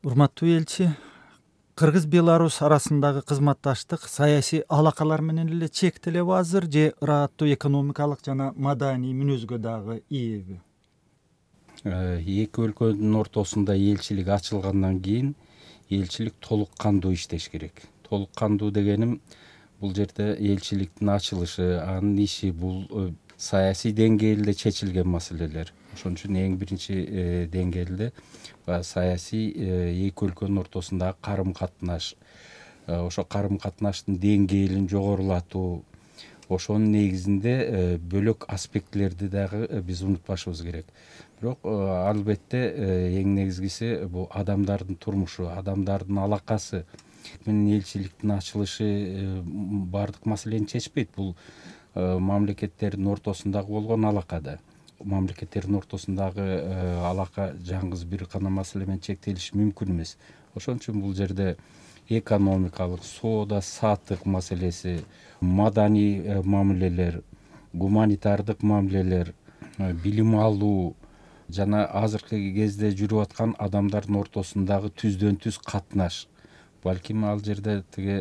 Урматтуу элчи, Кыргыз-Беларусь арасындагы кызматташтык саясий алакалар менен эле чектелеби азыр же ырааттуу экономикалык жана маданий мүнөзгө дагы ээби? Эки өлкөнүн ортосунда элчилик ачылгандан кийин элчилик толук кандуу иштеш керек. Толук кандуу дегеним бул жерде элчиликтин ачылышы, анын иши бул саясий деңгээлде чечилген маселелер. Ошон үчүн эң биринчи деңгээлде саясий эки өлкөнүн ортосундагы карым-катнаш, ошо карым-катнаштын деңгээлин жогорулатуу, ошонун негизинде бөлөк аспектилерди дагы биз унутпашыбыз керек. Бирок албетте эң негизгиси бул адамдардын турмушу, адамдардын алакасы менен элчиликтин ачылышы баардык маселени чечпейт. Бул мамлекеттердин ортосундагы болгон алака да. Мамлекеттердин ортосундагы алака жалгыз бир гана маселе менен чектелиши мүмкүн эмес. Ошон үчүн бул жерде экономикалык, соода саттык маселеси, маданий мамилелер, гуманитардык мамилелер, билим алуу жана азыркы кезде жүрүп аткан адамдардын ортосундагы түздөн түз катнаш, балким ал жерде тиги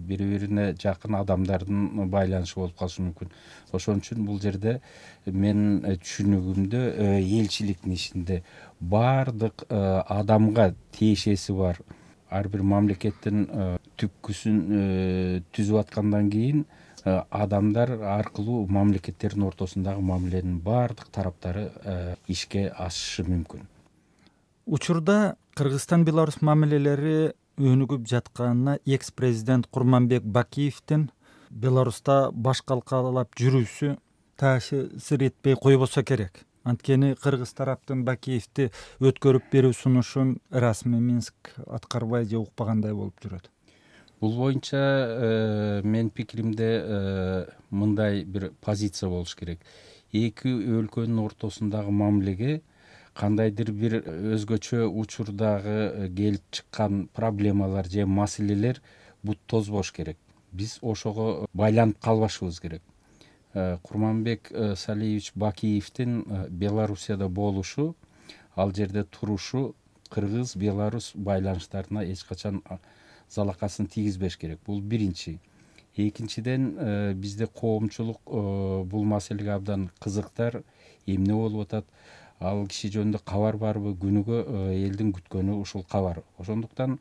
бири бирине жакын адамдардын байланышы болуп калышы мүмкүн. Ошон үчүн бул жерде менин түшүнүгүмдө элчиликтин ишинде баардык адамга тиешеси бар ар бир мамлекеттин түпкүсүн түзүп аткандан кийин адамдар аркылуу мамлекеттердин ортосундагы мамиленин баардык тараптары ишке ашышы мүмкүн. Учурда Кыргызстан-Беларусь мамилелери өнүгүп жатканына экс-президент Курманбек Бакиевдин Беларуста баш калкалап жүрүүсү таасир этпей койбосо керек. Анткени кыргыз тараптын Бакиевди өткөрүп берүү сунушун расмий Минск аткарбай же укпагандай болуп жүрөт. Бул боюнча менин пикиримде мындай бир позиция болуш керек. Эки өлкөнүн ортосундагы мамилеге кандайдыр бир өзгөчө учурдагы келип чыккан проблемалар же маселелер бут тозбош керек. Биз ошого байланып калбашыбыз керек. Курманбек Салиевич Бакиевдин Белоруссияда болушу, ал жерде турушу Кыргыз-Беларусь байланыштарына эч качан залакасын тийгизбеш керек. Бул биринчи. Экинчиден, бизде коомчулук бул маселеге абдан кызыктар, эмне болуп атат, ал киши жөнүндө кабар барбы, күнүгө элдин күткөнү ушул кабар. Ошондуктан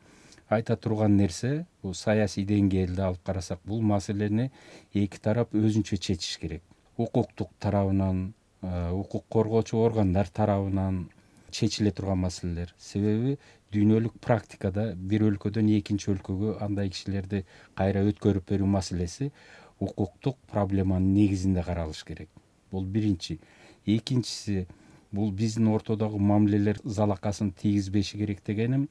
айта турган нерсе, бул саясий деңгээлде алып карасак, бул маселени эки тарап өзүнчө чечиш керек. Укуктук тарабынан, укук коргоочу органдар тарабынан чечиле турган маселелер. Себеби дүйнөлүк практикада бир өлкөдөн экинчи өлкөгө андай кишилерди кайра өткөрүп берүү маселеси укуктук проблеманын негизинде каралыш керек. Бул биринчи. Экинчиси, бул биздин ортодогу мамилелер залакасын тийгизбеши керек дегеним,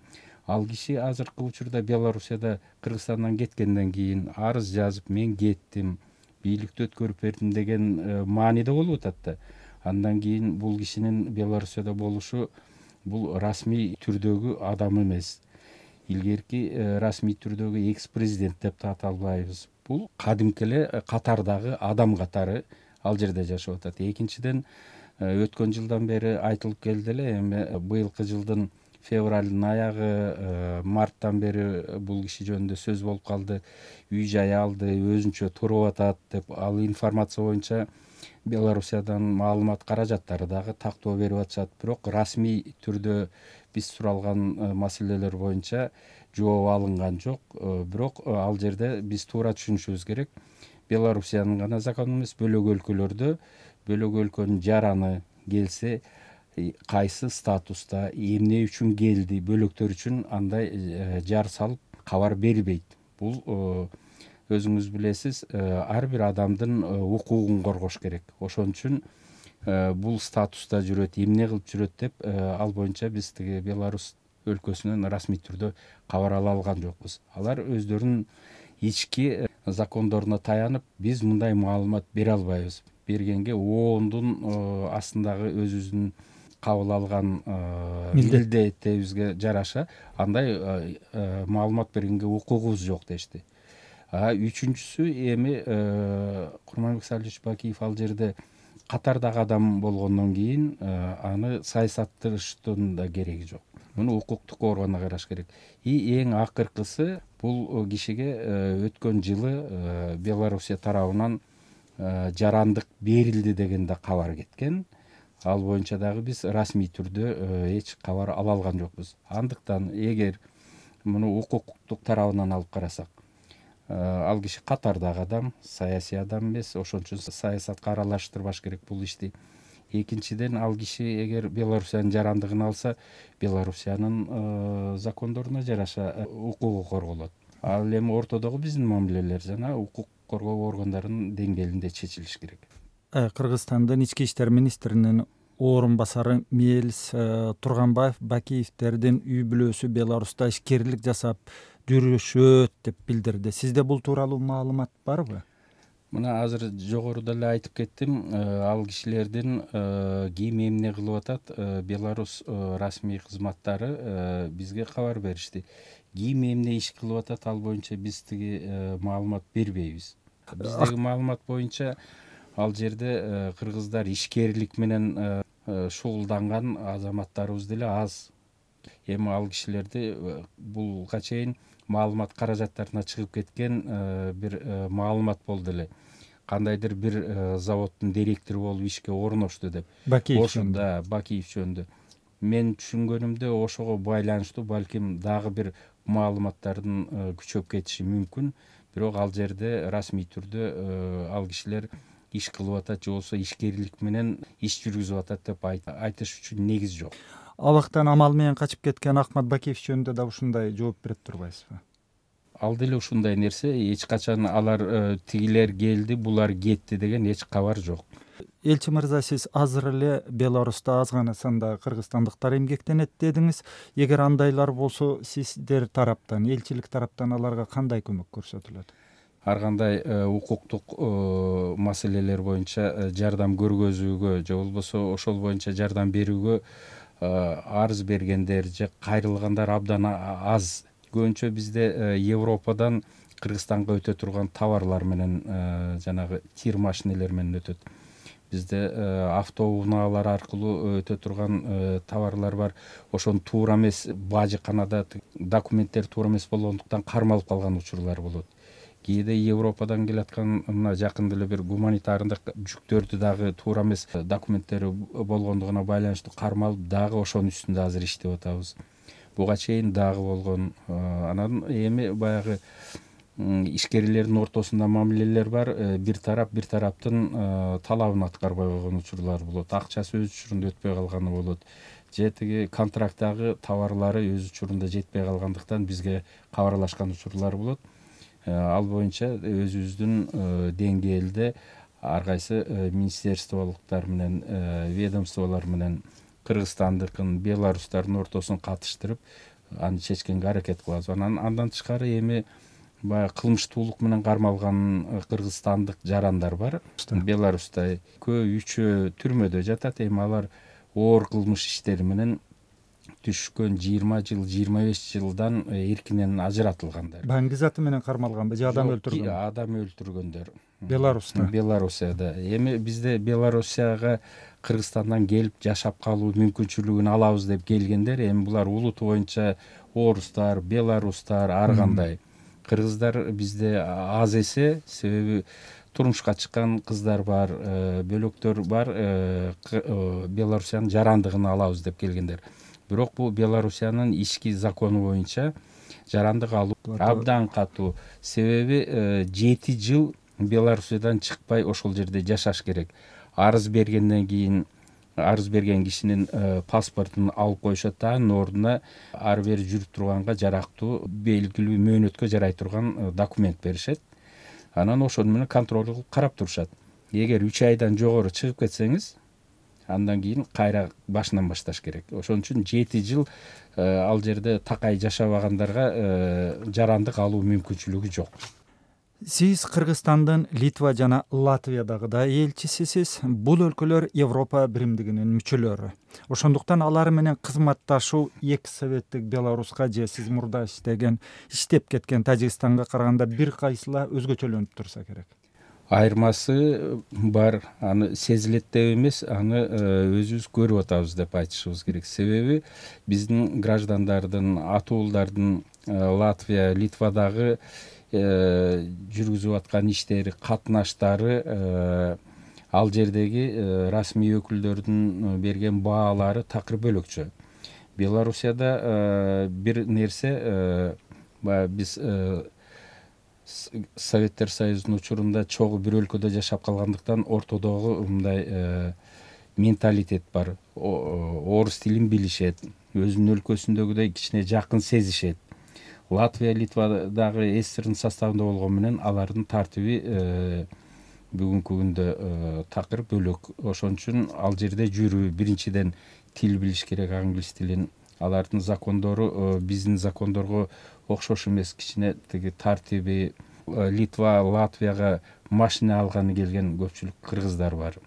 ал киши азыркы учурда Белоруссияда Кыргызстандан кеткенден кийин арыз жазып, мен кеттим, бийликти өткөрүп бердим деген мааниде болуп атат да. Андан кийин бул кишинин Белоруссияда болушу бул расмий түрдөгү адам эмес. Илгерки расмий түрдөгү экс-президент деп да аталбайбыз. Бул кадимки эле катардагы адам катары ал жерде жашап атат. Экинчиден, өткөн жылдан бери айтылып келди эле, эми быйылкы жылдын февралдын аягы, марттан бери бул киши жөнүндө сөз болуп калды. Үй жай алды, өзүнчө туруп атат деп, ал информация боюнча Белоруссиядан маалымат каражаттары дагы тактоо берип атышат. Бирок расмий түрдө биз суралган маселелер боюнча жооп алынган жок. Бирок ал жерде биз туура түшүнүшүбүз керек. Белоруссиянын гана закону эмес, бөлөк өлкөлөрдө бөлөк өлкөнүн жараны келсе, кайсы статуста, эмне үчүн келди, бөлөктөр үчүн андай жар салып кабар берилбейт. Бул өзүңүз билесиз, ар бир адамдын укугун коргош керек. Ошон үчүн бул статуста жүрөт, эмне кылып жүрөт деп, ал боюнча биз тиги Беларусь өлкөсүнөн расмий түрдө кабар ала алган жокпуз. Алар өздөрүнүн ички закондоруна таянып, биз мындай маалымат бере албайбыз. Бергенге оондун астындагы өзүбүздүн кабыл алган милдетибизге жараша андай маалымат бергенге укугубуз жок дешти. Үчүнчүсү, эми Курманбек Салиевич Бакиев ал жерде катардагы адам болгондон кийин аны саясатташтырыштын да кереги жок. Муну укуктук органга караш керек. Эң акыркысы бул кишиге өткөн жылы Белоруссия тарабынан жарандык берилди деген да кабар кеткен. Ал боюнча дагы биз расмий түрдө эч кабар ала алган жокпуз. Андыктан эгер муну укуктук тарабынан алып карасак, ал киши катардагы адам, саясий адам эмес, ошон үчүн саясатка аралаштырбаш керек бул ишти. Экинчиден, ал киши эгер Белоруссиянын жарандыгын алса, Белоруссиянын закондоруна жараша укугу корголот. Ал эми ортодогу биздин мамилелер жана укук коргоо органдарынын деңгээлинде чечилиш керек. Кыргызстандын ички иштер министринин орун басары Мелис Турганбаев Бакиевтердин үй бүлөсү Беларуста ишкерлик жасап жүрүшөт деп билдирди. Сизде бул тууралуу маалымат барбы? Мына азыр жогоруда эле айтып кеттим, ал кишилердин ким эмне кылып атат, Беларусь расмий кызматтары бизге кабар беришти. Ким эмне иш кылып атат, ал боюнча биз тиги маалымат бербейбиз. Биздеги маалымат боюнча ал жерде кыргыздар ишкерлик менен шугулданган азаматтарыбыз деле аз. Эми ал кишилерди булга чейин маалымат каражаттарына чыгып кеткен бир маалымат болду эле. Кандайдыр бир заводдун директору болуп ишке орношту деп. Ошондо Бакиев жөнүндө. Мен түшүнгөнүмдө ошого байланыштуу балким дагы бир маалыматтардын күчөп кетиши мүмкүн. Бирок ал жерде расмий түрдө ал кишилер иш кылып атат же болбосо ишкерлик менен иш жүргүзүп атат деп айтыш үчүн негиз жок. Абактан амал менен качып кеткен Акмат Бакиев жөнүндө да ушундай жооп берип турбайсызбы? Ал деле ушундай нерсе, эч качан алар тигилер келди, булар кетти деген эч кабар жок. Элчи мырза, сиз азыр эле Беларуста аз гана санда кыргызстандыктар эмгектенет дедиңиз. Эгер андайлар болсо, сиздер тараптан, элчилик тараптан аларга кандай көмөк көрсөтүлөт? Ар кандай укуктук маселелер боюнча жардам көргөзүүгө же болбосо ошол боюнча жардам берүүгө арыз бергендер же кайрылгандар абдан аз. Көбүнчө бизде Европадан Кыргызстанга өтө турган товарлар менен жанагы тир машинелер менен өтөт. Бизде автоунаалар аркылуу өтө турган товарлар бар. Ошону туура эмес бажыканада документтер туура эмес болгондуктан кармалып калган учурлар болот. Кээде Европадан келаткан мына жакында эле бир гуманитардык жүктөрдү дагы туура эмес документтери болгондугуна байланыштуу кармалып, дагы ошонун үстүндө азыр иштеп атабыз. Буга чейин дагы болгон. Анан эми баягы ишкерлердин ортосунда мамилелер бар. Бир тараптын талабын аткарбай койгон учурлар болот. Акчасы өз учурунда өтпөй калганы болот. Же тиги контракттагы товарлары өз учурунда жетпей калгандыктан бизге кабарлашкан учурлар болот. Ал боюнча өзүбүздүн деңгээлде ар кайсы министерстволуктар менен, ведомстволор менен Кыргызстандыкын, Беларустардын ортосун катыштырып, аны чечкенге аракет кылабыз. Андан тышкары эми баягы кылмыштуулук менен кармалган кыргызстандык жарандар бар. Беларуста үчөө түрмөдө жатат. Эми алар оор кылмыш иштери менен түшкөн 20 жыл, 25 жылдан эркинен ажыратылгандар. Баңги заты менен кармалганбы же адам өлтүргөн? Адам өлтүргөндөр. Беларусияда. Эми бизде Белоруссияга Кыргызстандан келип жашап калуу мүмкүнчүлүгүн алабыз деп келгендер, эми булар улут боюнча орустар, беларустар, ар кандай. Кыргыздар бизде аз эсе, себеби турмушка чыккан кыздар бар, бөлөктөр бар, Белоруссиянын жарандыгын алабыз деп келгендер. Бирок бул Белоруссиянын ички закону боюнча жарандык алуу абдан катуу. Себеби 7 жыл Белоруссиядан чыкпай ошол жерде жашаш керек. Арыз бергенден кийин арыз берген кишинин паспортун алып коюшат, анын ордуна ары бери жүрүп турганга жарактуу белгилүү мөөнөткө жарай турган документ беришет. Анан ошону менен контроль кылып карап турушат. Эгер 3 айдан жогору чыгып кетсеңиз, андан кийин кайра башынан башташ керек. Ошон үчүн 7 жыл ал жерде такай жашабагандарга жарандык алуу мүмкүнчүлүгү жок. Сиз Кыргызстандын Литва жана Латвиядагы да элчисисиз. Бул өлкөлөр Европа биримдигинин мүчөлөрү. Ошондуктан алар менен кызматташуу экс советтик Беларуска же сиз мурда иштеп кеткен Тажикстанга караганда бир кайсыла өзгөчөлөнүп турса керек. айырмасы бар, аны сезилет деп эмес, аны өзүбүз көрүп атабыз деп айтышыбыз керек. Себеби биздин граждандардын, ата уулдардын Латвия, Литвадагы жүргүзүп аткан иштери, катнаштары, ал жердеги расмий өкүлдөрдүн берген баалары такыр бөлөкчө. Белоруссияда бир нерсе, баягы биз Советтер Союзунун учурунда чогуу бир өлкөдө жашап калгандыктан ортодогу мындай менталитет бар. Орус тилин билишет, өзүнүн өлкөсүндөгүдөй кичине жакын сезишет. Латвия, Литва дагы СССРдин составында болгону менен алардын тартиби бүгүнкү күндө такыр бөлөк. Ошон үчүн ал жерде жүрүү, биринчиден тил билиш керек, англис тилин. Алардын закондору биздин закондорго окшош эмес, кичине тиги тартиби. Литва, Латвияга машина алганы келген көпчүлүк кыргыздар бар.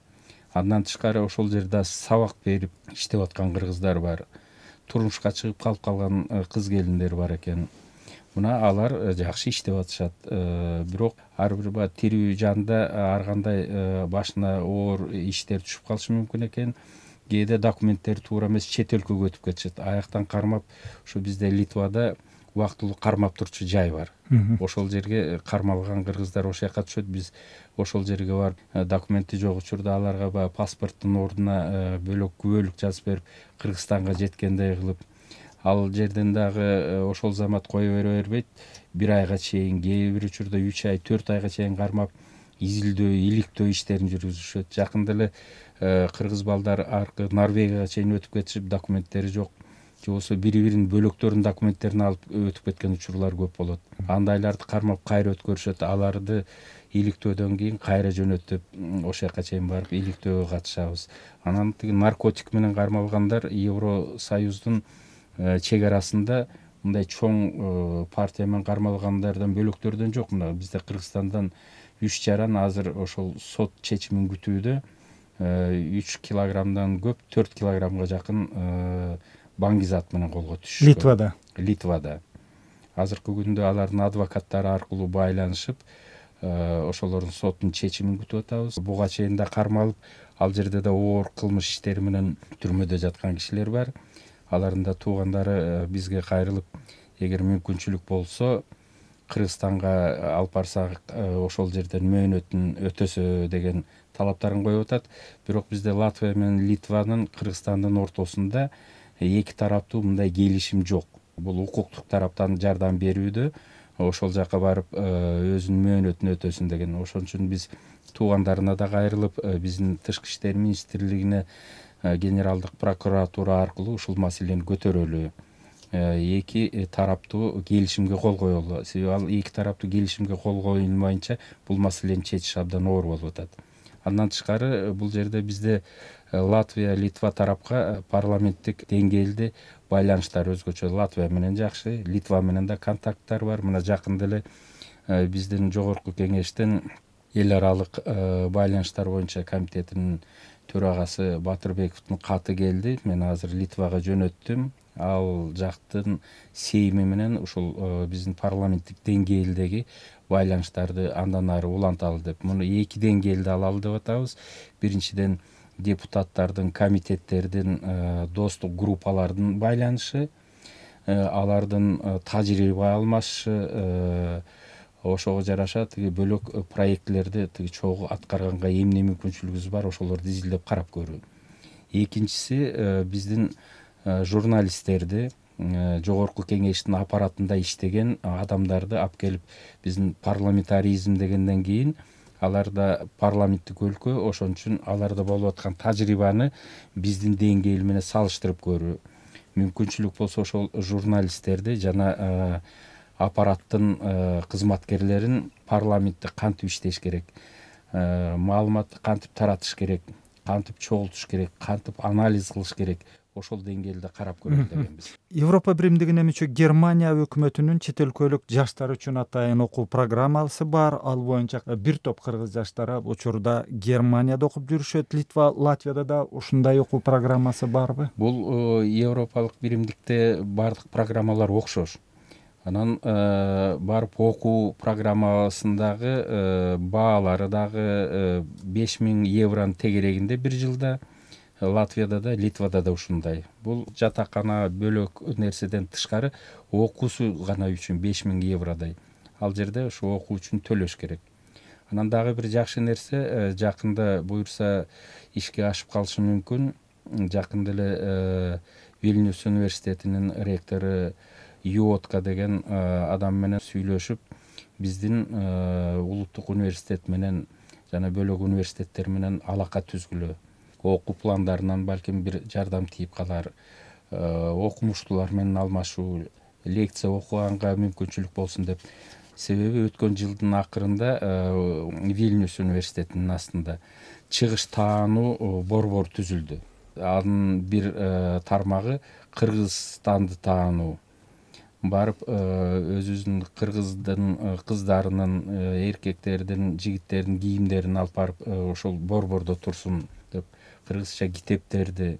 Андан тышкары ошол жерде сабак берип иштеп аткан кыргыздар бар. Турмушка чыгып калып калган кыз келиндер бар экен. Мына алар жакшы иштеп атышат. Бирок ар бир баягы тирүү жанда ар кандай башына оор иштер түшүп калышы мүмкүн экен. Кээде документтери туура эмес, чет өлкөгө өтүп кетишет. Аяктан кармап, ушу бизде Литвада убактылуу кармап турчу жай бар. Ошол жерге кармалган кыргыздар ошол жака түшөт. Биз ошол жерге барып, документи жок учурда аларга баягы паспорттун ордуна бөлөк күбөлүк жазып берип, Кыргызстанга жеткендей кылып, ал жерден дагы ошол замат кое бере бербейт. Бир айга чейин, кээ бир учурда 3 ай, 4 айга чейин кармап, изилдөө, иликтөө иштерин жүргүзүшөт. Жакында эле кыргыз балдар аркы Норвегияга чейин өтүп кетишип, документтери жок, же болбосо бири-биринин бөлөктөрүнүн документтерин алып өтүп кеткен учурлар көп болот. Андайларды кармап кайра өткөрүшөт. Аларды иликтөөдөн кийин кайра жөнөтүп, ошол жака чейин барып иликтөөгө катышабыз. Анан тиги наркотик менен кармалгандар Евросоюздун чек арасында мындай чоң партия менен кармалгандардан бөлөктөрдөн жок. Мына бизде Кыргызстандан 3 жаран азыр ошол сот чечимин күтүүдө. 3 килограммдан көп, 4 килограммга жакын баңгизат менен колго түшүшкөн. Литвада. Азыркы күндө алардын адвокаттары аркылуу байланышып, ошолордун соттун чечимин күтүп атабыз. Буга чейин да кармалып, ал жерде да оор кылмыш иштери менен түрмөдө жаткан кишилер бар. Алардын да туугандары бизге кайрылып, эгер мүмкүнчүлүк болсо, Кыргызстанга алып барсак, ошол жерден мөөнөтүн өтөсө деген талаптарын коюп атат. Бирок бизде Латвия менен Литванын, Кыргызстандын ортосунда эки тараптуу мындай келишим жок. Бул укуктук тараптан жардам берүүдө, ошол жака барып өзүнүн мөөнөтүн өтөсүн деген. Ошон үчүн биз туугандарына да кайрылып, биздин тышкы иштер министрлигине, генералдык прокуратура аркылуу ушул маселени көтөрөлү. Эки тараптуу келишимге кол коелу. Себеби ал эки тараптуу келишимге кол коюлмайынча бул маселени чечиш абдан оор болуп атат. Андан тышкары бул жерде бизде Латвия, Литва тарапка парламенттик деңгээлде байланыштар өзгөчө. Латвия менен жакшы, Литва менен да контакттар бар. Мына жакында эле биздин жогорку кеңештин эл аралык байланыштар боюнча комитетинин төрагасы Батырбековдун каты келди. Мен азыр Литвага жөнөттүм. Ал жактын сейми менен ушул биздин парламенттик деңгээлдеги байланыштарды андан ары уланталы деп. Муну эки деңгээлде алалы деп атабыз. Биринчиден депутаттардын, комитеттердин, достук группалардын байланышы, алардын тажрыйба алмашышы, ошого жараша тиги бөлөк проектлерди тиги чогуу аткарганга эмне мүмкүнчүлүгүбүз бар, ошолорду изилдеп карап көрүү. Экинчиси, биздин журналисттерди, жогорку кеңештин аппаратында иштеген адамдарды алып келип, биздин парламентаризм дегенден кийин аларда парламенттик өлкө, ошон үчүн аларда болуп аткан тажрыйбаны биздин деңгээл менен салыштырып көрүү. Мүмкүнчүлүк болсо ошол журналисттерди жана аппараттын кызматкерлерин парламентте кантип иштеш керек, маалыматты кантип таратыш керек, кантип чогултуш керек, кантип анализ кылыш керек, ошол деңгээлде карап көрөлү дегенбиз. Европа биримдигине мүчө Германия өкмөтүнүн чет өлкөлүк жаштар үчүн атайын окуу программасы бар. Ал боюнча бир топ кыргыз жаштары учурда Германияда окуп жүрүшөт. Литва, Латвияда да ушундай окуу программасы барбы? Бул европалык биримдикте бардык программалар окшош. Анан барып окуу программасындагы баалары дагы 5000 евроны тегерегинде бир жылда. Латвияда да, Литвада да ушундай. Бул жатакана бөлөк нерседен тышкары окуусу гана үчүн 5000 евродай. Ал жерде ушу окуу үчүн төлөш керек. Анан дагы бир жакшы нерсе, жакында буюрса ишке ашып калышы мүмкүн. Жакында эле Вильнюс университетинин ректору Юотка деген адам менен сүйлөшүп, биздин улуттук университет менен жана бөлөк университеттер менен алака түзгүлө. Окуу пландарынан балким бир жардам тийип калар, окумуштуулар менен алмашуу, лекция окуганга мүмкүнчүлүк болсун деп. Себеби өткөн жылдын акырында Вильнюс университетинин астында чыгыш таануу борбор түзүлдү. Анын бир тармагы Кыргызстанды таануу. Барып өзүбүздүн кыргыздын кыздарынын, эркектердин, жигиттердин кийимдерин алып барып ошол борбордо турсун деп, кыргызча китептерди,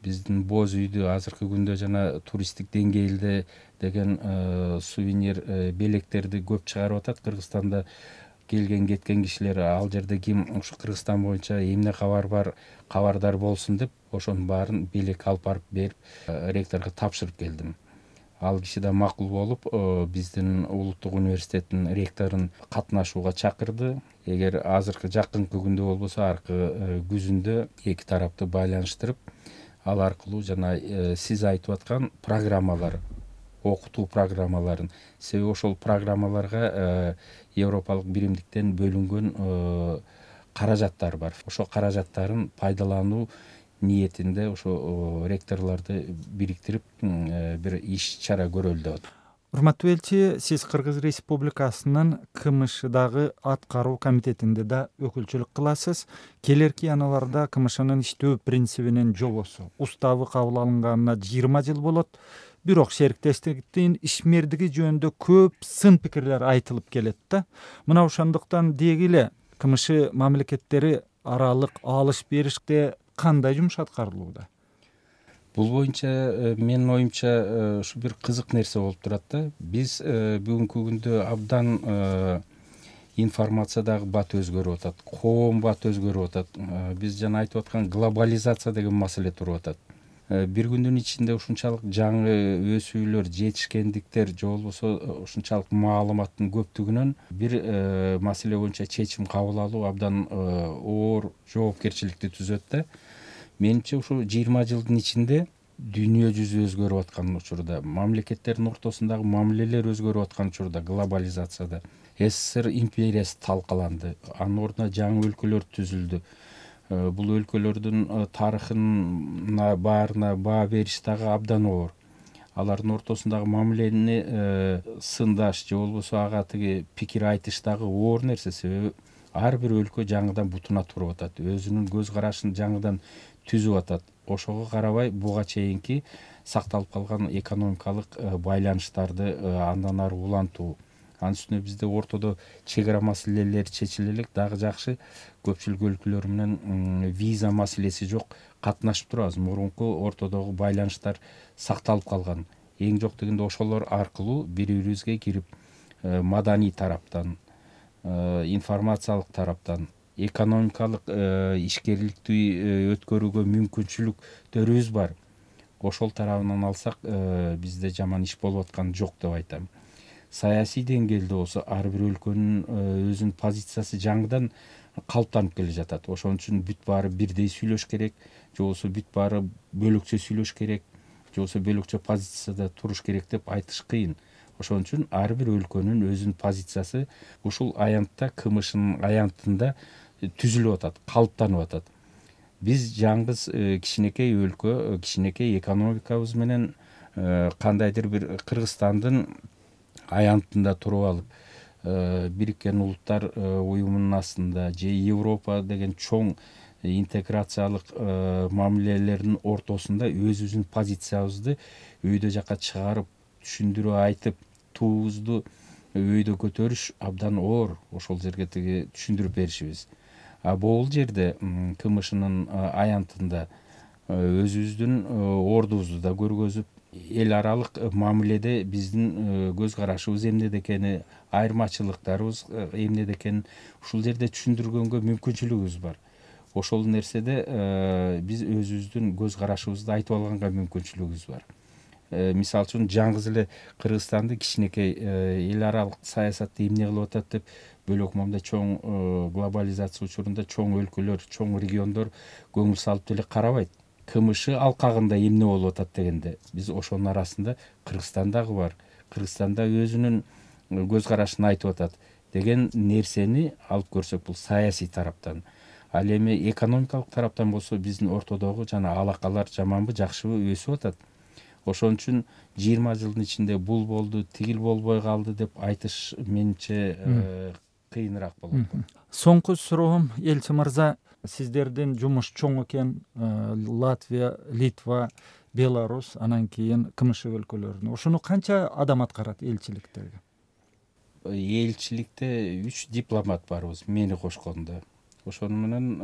биздин боз үйдү азыркы күндө жана туристтик деңгээлде деген сувенир белектерди көп чыгарып атат. Кыргызстанда келген кеткен кишилер ал жерде ким ушу Кыргызстан боюнча эмне кабар бар, кабардар болсун деп, ошонун баарын белек алып барып берип ректорго тапшырып келдим. Ал киши да макул болуп, биздин улуттук университеттин ректорун катнашууга чакырды. Эгер азыркы жакынкы күндө болбосо, аркы күзүндө эки тарапты байланыштырып, ал аркылуу жана сиз айтып аткан программалар, окутуу программаларын, себеби ошол программаларга Европалык биримдиктен бөлүнгөн каражаттар бар. Ошол каражаттарын пайдалануу ниетинде ошо ректорлорду бириктирип бир иш чара көрөлү деп атат. Урматтуу элчи, сиз Кыргыз Республикасынын КМШдагы аткаруу комитетинде да өкүлчүлүк кыласыз. Келерки аналарда КМШнын иштөө принцибинин жобосу, уставы кабыл алынганына 20 жыл болот. Бирок шериктештиктин ишмердиги жөнүндө көп сын пикирлер айтылып келет да. Мына ошондуктан деги эле КМШ мамлекеттери аралык алыш бериште кандай жумуш аткарылууда? Бул боюнча менин оюмча ушу бир кызык нерсе болуп турат да. Биз бүгүнкү күндө абдан информациядагы бат өзгөрүп атат, коом бат өзгөрүп атат. Биз жана айтып аткан глобализация деген маселе туруп атат. Бир күндүн ичинде ушунчалык жаңы өсүүлөр, жетишкендиктер же болбосо ушунчалык маалыматтын көптүгүнөн бир маселе боюнча чечим кабыл алуу абдан оор жоопкерчиликти түзөт да. Менимче ушу 20 жылдын ичинде дүйнө жүзү өзгөрүп аткан учурда, мамлекеттердин ортосундагы мамилелер өзгөрүп аткан учурда, глобализацияда СССР империясы талкаланды, анын ордуна жаңы өлкөлөр түзүлдү. Бул өлкөлөрдүн тарыхына баарына баа бериш дагы абдан оор. Алардын ортосундагы мамилени сындаш же болбосо ага тиги пикир айтыш дагы оор нерсе. Себеби ар бир өлкө жаңыдан бутуна туруп атат, өзүнүн көз карашын жаңыдан түзүп атат. Ошого карабай буга чейинки сакталып калган экономикалык байланыштарды андан ары улантуу. Анын үстүнө бизде ортодо чек ара маселелери чечиле элек, дагы жакшы көпчүлүк өлкөлөр менен виза маселеси жок, катнашып турабыз. Мурунку ортодогу байланыштар сакталып калган. Эң жок дегенде ошолор аркылуу бири-бирибизге кирип, маданий тараптан, информациялык тараптан, экономикалык ишкерликти өткөрүүгө мүмкүнчүлүктөрүбүз бар. Ошол тарабынан алсак, бизде жаман иш болуп аткан жок деп айтам. Саясий деңгээлде болсо ар бир өлкөнүн өзүнүн позициясы жаңыдан калыптанып келе жатат. Ошон үчүн бүт баары бирдей сүйлөш керек, же болбосо бүт баары бөлөкчө сүйлөш керек, же болбосо бөлөкчө позицияда туруш керек деп айтыш кыйын. Ошон үчүн ар бир өлкөнүн өзүнүн позициясы ушул аянтта, КМШнын аянтында түзүлүп атат, калыптанып атат. Биз жаңгыз кичинекей өлкө, кичинекей экономикабыз менен кандайдыр бир Кыргызстандын аянтында туруп алып, Бириккен Улуттар уюмунун астында же Европа деген чоң интеграциялык мамилелердин ортосунда өзүбүздүн позициябызды өйдө жака чыгарып, түшүндүрүп айтып, туубузду өйдө көтөрүш абдан оор. Ошол жерге тиги түшүндүрүп беришибиз. Бул жерде КМШнын аянтында өзүбүздүн ордубузду да көргөзүп, эл аралык мамиледе биздин көз карашыбыз эмнеде экени, айырмачылыктарыбыз эмнеде экенин ушул жерде түшүндүргөнгө мүмкүнчүлүгүбүз бар. Ошол нерседе биз өзүбүздүн көз карашыбызды айтып алганга мүмкүнчүлүгүбүз бар. Мисалы үчүн жаңгыз эле Кыргызстанды кичинекей эл аралык саясатты эмне кылып атат деп бөлөк момундай чоң глобализация учурунда чоң өлкөлөр, чоң региондор көңүл салып деле карабайт. КМШ алкагында эмне болуп атат дегенде биз ошонун арасында Кыргызстан дагы бар. Кыргызстан да өзүнүн көз карашын айтып атат деген нерсени алып көрсөк, бул саясий тараптан. Ал эми экономикалык тараптан болсо биздин ортодогу жана алакалар жаманбы, жакшыбы өсүп атат. Ошон үчүн 20 жылдын ичинде бул болду, тигил болбой калды деп айтыш менимче кыйыныраак болот. Соңку суроом, элчи мырза, сиздердин жумуш чоң экен. Латвия, Литва, Беларусь, анан кийин КМШ өлкөлөрүнө. Ошону канча адам аткарат элчиликтеги? Элчиликте 3 дипломат барбыз, мени кошкондо. Ошону менен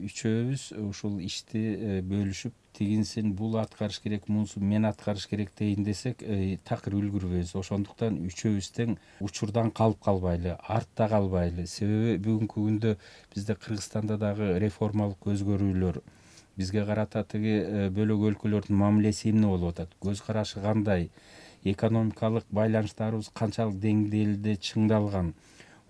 үчөөбүз ушул ишти бөлүшүп, тигинсин бул аткарыш керек, мунусун мен аткарыш керек дейин десек, такыр үлгүрбөйбүз. Ошондуктан үчөөбүз тең учурдан калып калбайлы, артта калбайлы. Себеби бүгүнкү күндө бизде Кыргызстанда дагы реформалык өзгөрүүлөр, бизге карата тиги бөлөк өлкөлөрдүн мамилеси эмне болуп атат, көз карашы кандай, экономикалык байланыштарыбыз канчалык деңгээлде чыңдалган,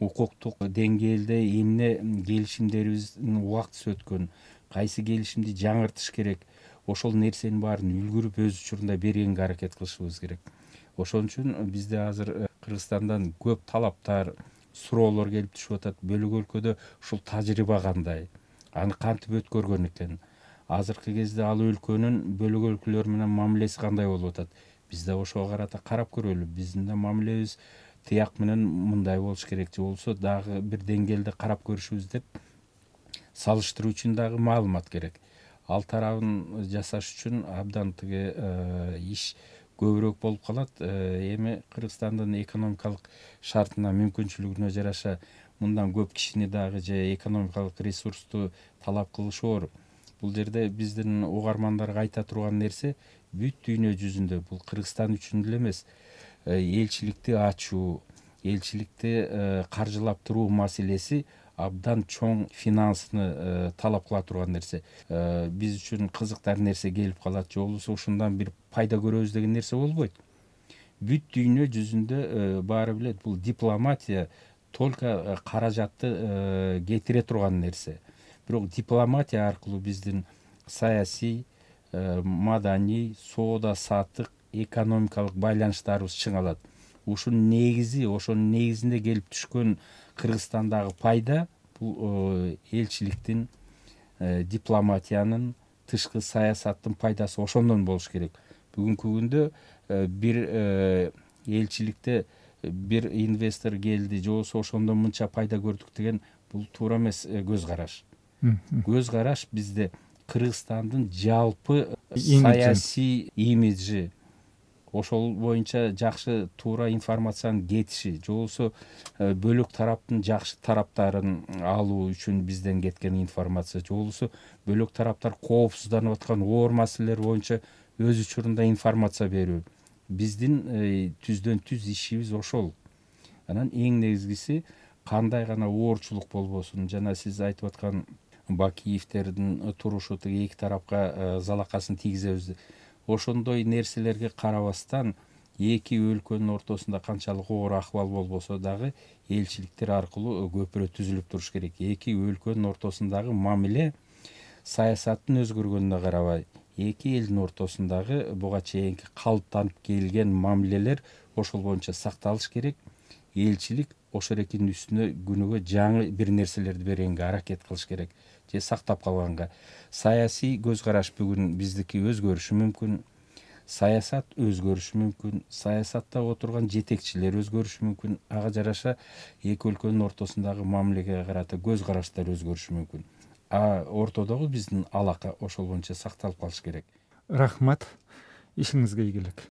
укуктук деңгээлде эмне келишимдерибиздин убактысы өткөн, кайсы келишимди жаңыртыш керек, ошол нерсенин баарын үлгүрүп өз учурунда бергенге аракет кылышыбыз керек. Ошон үчүн бизде азыр Кыргызстандан көп талаптар, суроолор келип түшүп атат. Бөлөк өлкөдө ушул тажрыйба кандай, аны кантип өткөргөн экен, азыркы кезде ал өлкөнүн бөлөк өлкөлөр менен мамилеси кандай болуп атат, бизде ошого карата карап көрөлү. Биздин да мамилебиз тияк менен мындай болуш керек, же болбосо дагы бир деңгээлде карап көрүшүбүз деп салыштыруу үчүн дагы маалымат керек. Ал тарабын жасаш үчүн абдан тиги иш көбүрөөк болуп калат. Эми Кыргызстандын экономикалык шартына, мүмкүнчүлүгүнө жараша мындан көп кишини дагы же экономикалык ресурсту талап кылышоор. Бул жерде биздин угармандарга айта турган нерсе, бүт дүйнө жүзүндө бул Кыргызстан үчүн эле эмес, элчиликти ачуу, элчиликти каржылап туруу маселеси абдан чоң финансыны талап кыла турган нерсе. Биз үчүн кызыктар нерсе келип калат, же болбосо ушундан бир пайда көрөбүз деген нерсе болбойт. Бүт дүйнө жүзүндө баары билет, бул дипломатия только каражатты кетире турган нерсе. Бирок дипломатия аркылуу биздин саясий, маданий, соода саттык, экономикалык байланыштарыбыз чыңалат. Ушунун негизи, ошонун негизинде келип түшкөн Кыргызстандагы пайда бул элчиликтин, дипломатиянын, тышкы саясаттын пайдасы ошондон болуш керек. Бүгүнкү күндө бир элчиликте бир инвестор келди, же болбосо ошондон мынча пайда көрдүк деген бул туура эмес көз караш. Көз караш бизде Кыргызстандын жалпы саясий имиджи, ошол боюнча жакшы туура информациянын кетиши, же болбосо бөлөк тараптын жакшы тараптарын алуу үчүн бизден кеткен информация, же болбосо бөлөк тараптар коопсузданып аткан оор маселелер боюнча өз учурунда информация берүү. Биздин түздөн түз ишибиз ошол. Анан эң негизгиси кандай гана оорчулук болбосун, жана сиз айтып аткан Бакиевтердин турушу тиги эки тарапка залакасын тийгизебиз. Ошондой нерселерге карабастан эки өлкөнүн ортосунда канчалык оор акыбал болбосо дагы элчиликтер аркылуу көпүрө түзүлүп туруш керек. Эки өлкөнүн ортосундагы мамиле саясаттын өзгөргөнүнө карабай, эки элдин ортосундагы буга чейинки калыптанып келген мамилелер ошол боюнча сакталыш керек. Элчилик ошол экинин үстүнө күнүгө жаңы бир нерселерди бергенге аракет кылыш керек, же сактап калганга. Саясий көз караш бүгүн биздики өзгөрүшү мүмкүн, саясат өзгөрүшү мүмкүн, саясатта отурган жетекчилер өзгөрүшү мүмкүн. Ага жараша эки өлкөнүн ортосундагы мамилеге карата көз караштар өзгөрүшү мүмкүн. Ортодогу биздин алака ошол боюнча сакталып калыш керек. Рахмат, ишиңизге ийгилик.